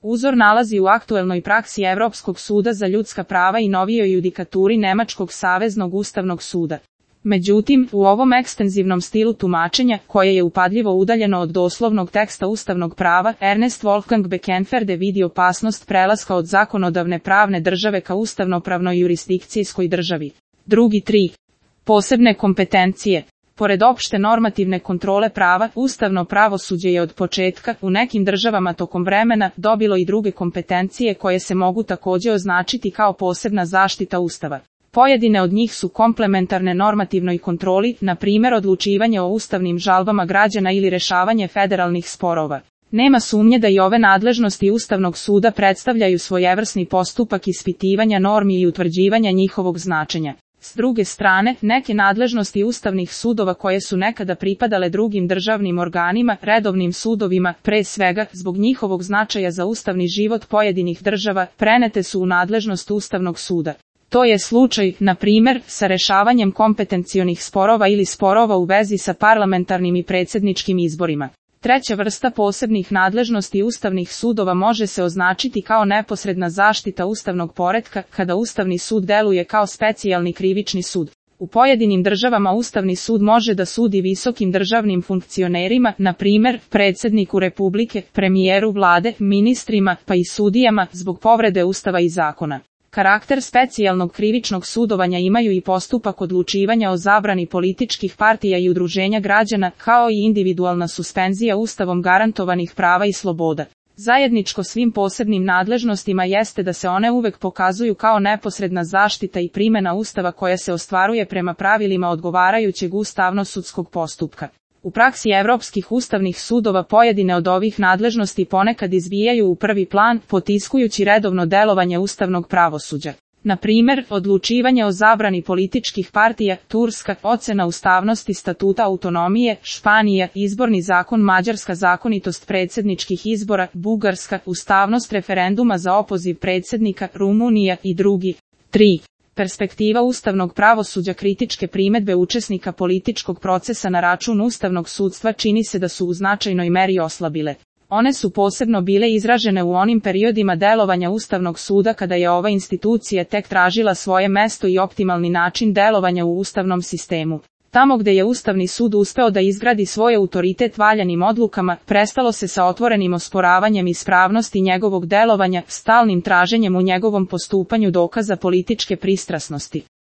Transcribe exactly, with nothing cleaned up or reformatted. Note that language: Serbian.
uzor nalazi u aktuelnoj praksi Evropskog suda za ljudska prava i novijoj judikaturi Nemačkog saveznog ustavnog suda. Međutim, u ovom ekstenzivnom stilu tumačenja, koje je upadljivo udaljeno od doslovnog teksta ustavnog prava, Ernest Wolfgang Beckenferde vidi opasnost prelaska od zakonodavne pravne države ka ustavnopravnoj jurisdikcijskoj državi. Drugi tri. Posebne kompetencije. Pored opšte normativne kontrole prava, ustavno pravosuđe je od početka, u nekim državama tokom vremena, dobilo i druge kompetencije koje se mogu takođe označiti kao posebna zaštita Ustava. Pojedine od njih su komplementarne normativnoj kontroli, na primjer odlučivanje o ustavnim žalbama građana ili rešavanje federalnih sporova. Nema sumnje da i ove nadležnosti Ustavnog suda predstavljaju svojevrsni postupak ispitivanja normi i utvrđivanja njihovog značenja. S druge strane, neke nadležnosti ustavnih sudova koje su nekada pripadale drugim državnim organima, redovnim sudovima, pre svega, zbog njihovog značaja za ustavni život pojedinih država, prenete su u nadležnost Ustavnog suda. To je slučaj, na primjer, sa rešavanjem kompetencionih sporova ili sporova u vezi sa parlamentarnim i predsjedničkim izborima. Treća vrsta posebnih nadležnosti ustavnih sudova može se označiti kao neposredna zaštita ustavnog poretka, kada Ustavni sud deluje kao specijalni krivični sud. U pojedinim državama Ustavni sud može da sudi visokim državnim funkcionerima, na primjer, predsjedniku Republike, premijeru vlade, ministrima, pa i sudijama, zbog povrede Ustava i zakona. Karakter specijalnog krivičnog sudovanja imaju i postupak odlučivanja o zabrani političkih partija i udruženja građana, kao i individualna suspenzija Ustavom garantovanih prava i sloboda. Zajedničko svim posebnim nadležnostima jeste da se one uvek pokazuju kao neposredna zaštita i primjena Ustava koja se ostvaruje prema pravilima odgovarajućeg ustavno-sudskog postupka. U praksi evropskih ustavnih sudova pojedine od ovih nadležnosti ponekad izvijaju u prvi plan, potiskujući redovno delovanje ustavnog pravosuđa. Na primjer, odlučivanje o zabrani političkih partija, Turska, ocena ustavnosti statuta autonomije, Španija, izborni zakon, Mađarska, zakonitost predsjedničkih izbora, Bugarska, ustavnost referenduma za opoziv predsjednika, Rumunija i drugi. tri. Perspektiva ustavnog pravosuđa. Kritičke primedbe učesnika političkog procesa na račun ustavnog sudstva čini se da su u značajnoj meri oslabile. One su posebno bile izražene u onim periodima delovanja Ustavnog suda kada je ova institucija tek tražila svoje mesto i optimalni način delovanja u ustavnom sistemu. Tamo gde je Ustavni sud uspeo da izgradi svoj autoritet valjanim odlukama, prestalo se sa otvorenim osporavanjem ispravnosti njegovog delovanja, stalnim traženjem u njegovom postupanju dokaza političke pristrasnosti.